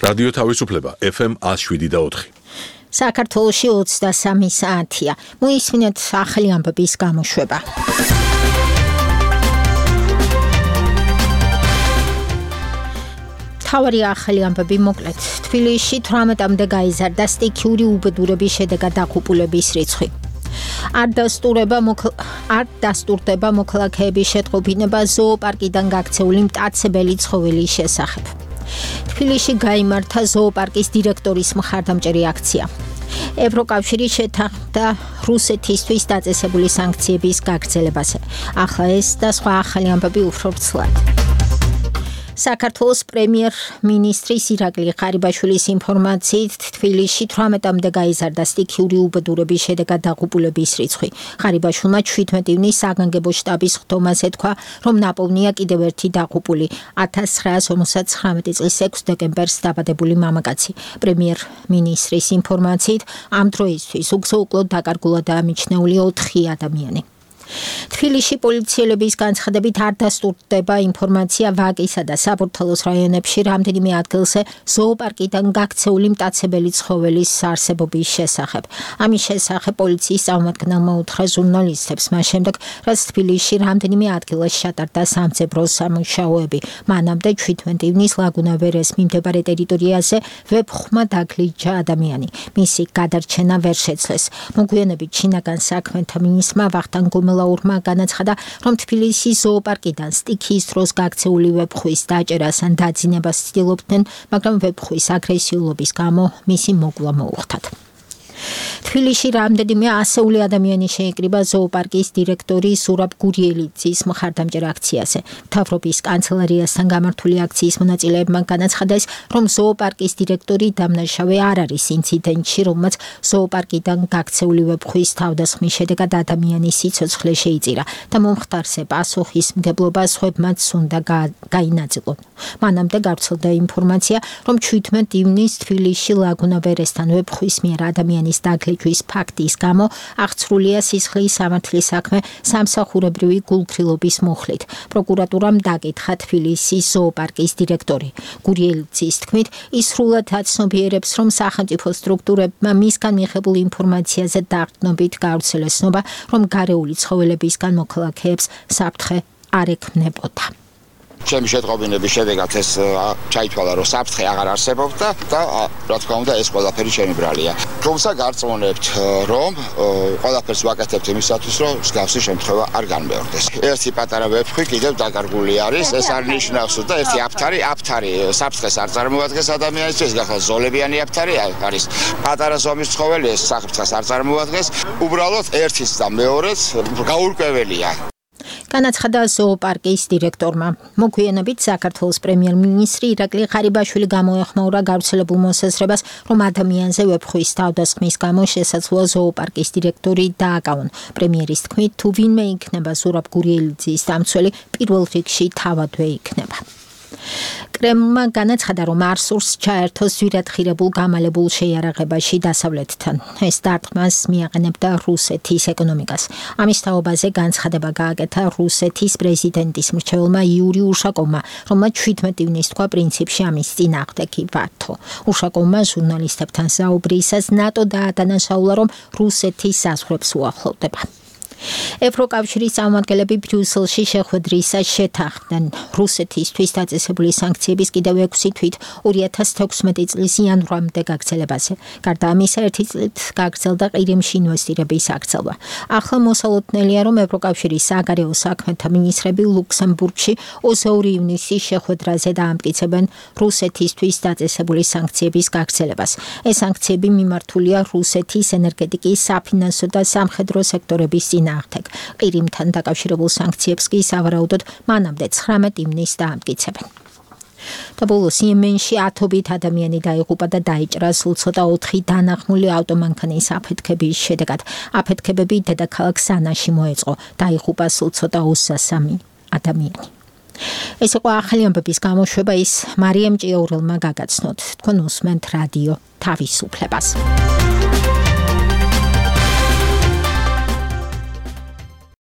რადიო თავისუფლება FM 107.4. საქართველოში 23 საათია. მოისმინეთ ახალი ამბების გამოშვება. თავარი ახალი ამბები მოკლედ. თბილისში 18-მდე გაიზარდა სტიქიური უბედურების შედეგად დაღუპულების რიცხვი. არ დასტურდება მოქალაქეების შეტყობინება ზოოპარკიდან გაქცეული მტაცებელი ცხოველის შესახებ. თბილისში გაიმართა ზოოპარკის დირექტორის მხარდამჭერი აქცია. ევროკავშირი შეთანხმდა რუსეთისთვის დაწესებული სანქციების გაგრძელებაზე. ახლა ეს და სხვა ახალი ამბები უფრო ვრცლად. საქართველოს პრემიერ-მინისტრის ირაკლი ღარიბაშვილის ინფორმაციით თბილისში 18-მდე გაიზარდა სტიქიური უბედურების შედეგად დაღუპულების რიცხვი. ღარიბაშვილმა 17 ივნის საგანგებო შტაბის ხდომაზე თქვა, რომ ნაპოვნია კიდევ ერთი დაღუპული 1959 წლის 6 დეკემბერს დაბადებული მამაკაცი. პრემიერ-მინისტრის ინფორმაციით ამ დროისთვის უგზო-უკლოდ დაკარგულად დაამიჩნეული 4 ადამიანი. თბილისში პოლიციელების განცხადებით არ დასტურდება ინფორმაცია ვაკისა და საბურთალოს რაიონებში რამდენიმე ადგილზე ზოოპარკიდან გაქცეული მტაცებელი ცხოველის არსებობის შესახებ. ამის შესახებ პოლიციის წარმომადგენელმა უთხრა ჟურნალისტებს მას შემდეგ, რაც თბილისში რამდენიმე ადგილას ჩატარდა სამძებრო სამუშაოები. მანამდე 17 ივნის ლაგუნა ვერეს მიმდებარე ტერიტორიაზე ვებხმა დაგლიჯა ადამიანი. მისი გადარჩენა ვერ შეძლეს. მოგვიანებით შინაგან საქმეთა მინისტრმა ვახტანგ გომელაურმა განაცხადა, რომ თბილისის ზოოპარკიდან სტიქიის დროს გაქცეული ვებხვის დაჭერას ან დაძინებას ცდილობდნენ, მაგრამ ვებხვის აგრესიულობის გამო მისი მოკლა მოუხდათ. თბილისში რამდენიმე ასეული ადამიანი შეიკრიბა ზოოპარკის დირექტორი ზურაბ გურიელიძის მხარდამჭერ აქციაზე. მთავრობის კანცელარიასთან გამართული აქციის მონაწილეებმა განაცხადეს, რომ ზოოპარკის დირექტორი დამნაშავე არ არის ინციდენტში, რომელმაც ზოოპარკიდან გაქცეული ვებხვის თავდასხმის შედეგად ადამიანის სიცოცხლე შეიწირა და მომხდარზე პასუხისმგებლობა სხვებმაც უნდა გაინაწილონ. მანამდე გავრცელდა ინფორმაცია, რომ 17 ივნის თბილისში ლაგუნა ვერესთან ვებხვის მიერ ადამიანის დაგლიჯვის ფაქტის გამო აღწრულია სისხლის სამართლის საქმე სამსახურებრივი გულქრილობის მუხლით. პროკურატურამ დაკითხა თბილისის ზოოპარკის დირექტორი. გურიელიძის თქმით, ის სრულად აცნობიერებს, რომ სახელმწიფო სტრუქტურებმა მისგან მიღებულ ინფორმაციაზე დაყრდნობით გაავრცელეს ცნობა, რომ გარეული ცხოველებისგან მოქალაქეებს საფრთხე არ ექმნებოდა. ჩემი შეტყობინების შედეგად ეს ჩაითვალა, რომ საფრთხე აღარ არსებობდა და რა თქმა უნდა ეს ყველაფერი ჩემი ბრალია. თუმცა გარწმუნებთ, რომ ყველაფერს ვაკეთებთ იმისათვის, რომ მსგავსი შემთხვევა არ განმეორდეს. ერთი პატარა ვებხვი კიდევ დაკარგული არის, ეს არ ნიშნავს, და ერთი აფთარი საფრთხეს არ წარმოადგენს ადამიანისთვის, გახალ ზოლებიანი აფთარი არის პატარა ზომის ცხოველი, ეს საფრთხეს არ წარმოადგენს, უბრალოდ ერთის და მეორეც გაურკვეველია. განაცხადა ზოოპარკის დირექტორმა. მოგვიანებით საქართველოს პრემიერ-მინისტრი ირაკლი ღარიბაშვილი გამოეხმაურა გავრცელებულ მოსაზრებას, რომ ადამიანზე ვებხვის თავდასხმის გამო შესაძლოა ზოოპარკის დირექტორი დააკავონ. პრემიერის თქმით, თუ ვინმე იქნება ზურაბ გურიელიძის დამცველი, პირველ რიგში თავადვე იქნება. კრემლმა განაცხადა, რომ არ სურს ჩაერთოს ზვირადღირებულ გამალებულ შეიარაღებაში დასავლეთთან. ეს დარტყმას მიაყენებდა რუსეთის ეკონომიკას. ამის თაობაზე განცხადება გააკეთა რუსეთის პრეზიდენტის მრჩეველმა იური უშაკოვმა, რომელმაც 17 ივნის თქვა პრინციპში ამის წინააღმდეგ ვართ. უშაკოვმა ჟურნალისტებთან საუბრისას ნატო დაადანაშაულა, რომ რუსეთის საზღვრებს უახლოვდება. ევროკავშირის წარმომადგენლები ბრიუსელში შეხვედრისას შეთანხმდნენ რუსეთისთვის დაწესებული სანქციების კიდევ 6 თვით 2016 წლის იანვრამდე გაგრძელებაზე. გარდა ამისა, 1 წლით გაგრძელდა ყირიმში ინვესტირების აღწევა. ახლა მოსალოდნელია, რომ ევროკავშირის საგარეო საქმეთა მინისტრები ლუქსემბურგში 22 ივნისის შეხვედრაზე დაამტკიცებენ რუსეთისთვის დაწესებული სანქციების გაგრძელებას. ეს სანქციები მიმართულია რუსეთის ენერგეტიკის, საფინანსო და სამხედრო სექტორების ყირიმთან დაკავშირებულ სანქციებს კი სავარაუდოდ მანამდე 19 ივნის დაამტკიცებენ. და ბოლოს იემენში 10-ობით ადამიანი დაიღუპა და დაიჭრა სულ ცოტა 4 დანახმული ავტომანქანის აფეთქების შედეგად. აფეთქებები დედაქალაქ სანაში მოეწყო. დაიღუპა სულ ცოტა 23 ადამიანი. ეს იყო ახალი ამბების გამოშვება, ის მარიამ ჭიაურელმა გაგაცნოთ. თქვენ უსმენთ რადიო თავისუფლებას.